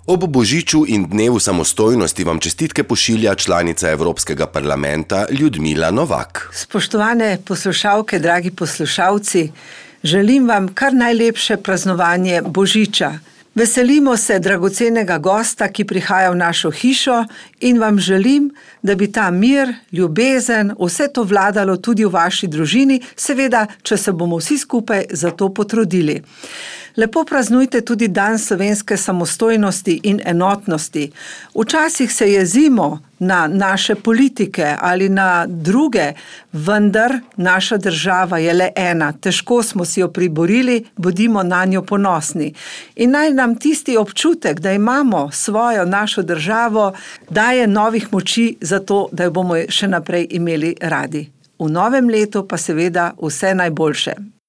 Ob Božiču in dnevu samostojnosti vam čestitke pošilja članica Evropskega parlamenta Ljudmila Novak. Spoštovane poslušalke, dragi poslušalci, želim vam kar najlepše praznovanje Božiča. Veselimo se dragocenega gosta, ki prihaja v našo hišo, in vam želim, da bi ta mir, ljubezen, vse to vladalo tudi v vaši družini, seveda, če se bomo vsi skupaj za to potrudili. Lepo praznujte tudi dan slovenske samostojnosti in enotnosti. Včasih se jezimo na naše politike ali na druge, vendar naša država je le ena. Težko smo si jo priborili, bodimo na njo ponosni. In naj nam tisti občutek, da imamo svojo našo državo, daje novih moči za to, da jo bomo še naprej imeli radi. V novem letu pa seveda vse najboljše.